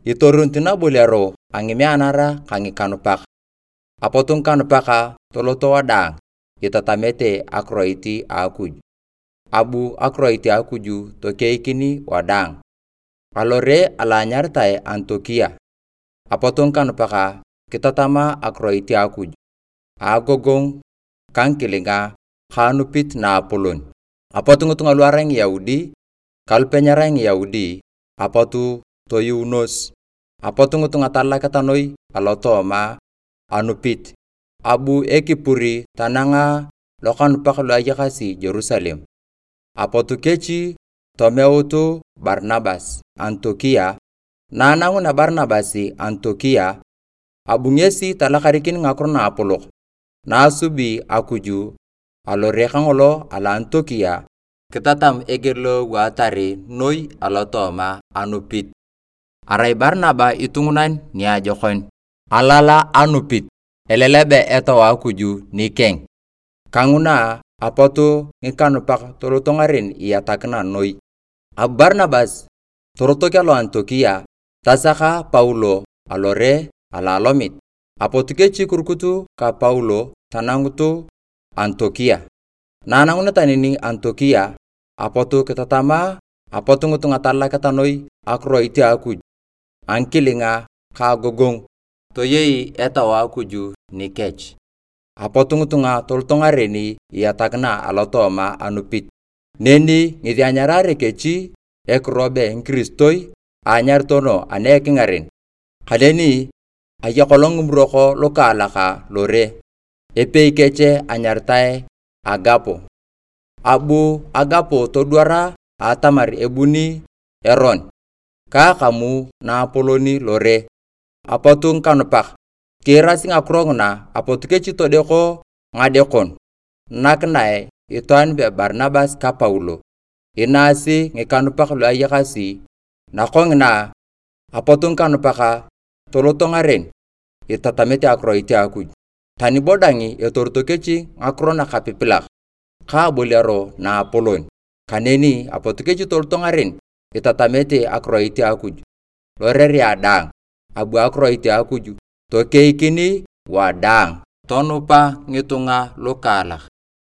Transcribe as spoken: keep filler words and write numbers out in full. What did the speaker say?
itorunit naboliaro a ngimianara ka ngikanupak. Apot ngikanupak toloto wadaang itatamete akiroit a Akuj, abu akiroit a Akuj tokeikin wadaang. Alore alo anyaritai Antiokia, apot ngikanupak kitatama akiroit a Akuj a agogongu ka ngikilinga ka anupit naapolon. Apot ngitunga lu arai Ngiyaudi ka lupe nyerai Ngiyaudi apot toyuunos. Apot ngitunga talaketa noi alotooma anupit, abu ekipur tananga lokanupak lu ayakasi Jerusalem. Apot kech tomeut Barnabas Antiokia. Na anangunea Barnabas Antiokia, abu ngesi talakarikin Ngakiro Naapolok na asubi Akuj alore kangolo alo Antiokia, kitatam eger lo ewaatar noi alotooma anupit. Arai Barnaba itungunan niajokon, alala anupit, elelebe Etau a Akuj nikeng. Kanguna apot ngikanupak toloto ngaren iyatakina noi. Abu Barnabas torotok alo Antiokia, tasaka Paulo alore alo alomit. Apot kech kirukut ka Paulo tanangut Antiokia. Na ananguneta neni Antiokia, apot kitatama apot ngitunga talaketa noi akiroit a Akuj a ngikilinga ka agogongu. Toyei Etau a Akuj nikech. Apot ngitunga toloto ngaren iyatakina alotooma anupit. Neni ngesi anyarare kech ekirobe ngikiristoi aanyaritono ana ekingaren. Kaneni aya kolong ngimurok lukaalak lore, epei kech anyaritae Agapo. Abu Agapo todwar atamar ebuni eron ka akamu naapolon lore. Apot ngikanupak kiirasi ngakiro nguna, apot kech todeko ngadekon nakinae itwaan be Barnabas ka Paulo, inaasi ngikanupak lu ayakasi. Nakongina, apot ngikanupak toloto ngaren itatamete akiroit a Akuj. Tani bo dang etorito kech ngakiro nakapipilak ka aboliaro naapolon, kaneni apot kech toloto ngaren itatamete akiroit a Akuj lorerea daang, abu akiroit a Akuj tokeikin wadaang. Tonupa ngitunga lukaalak.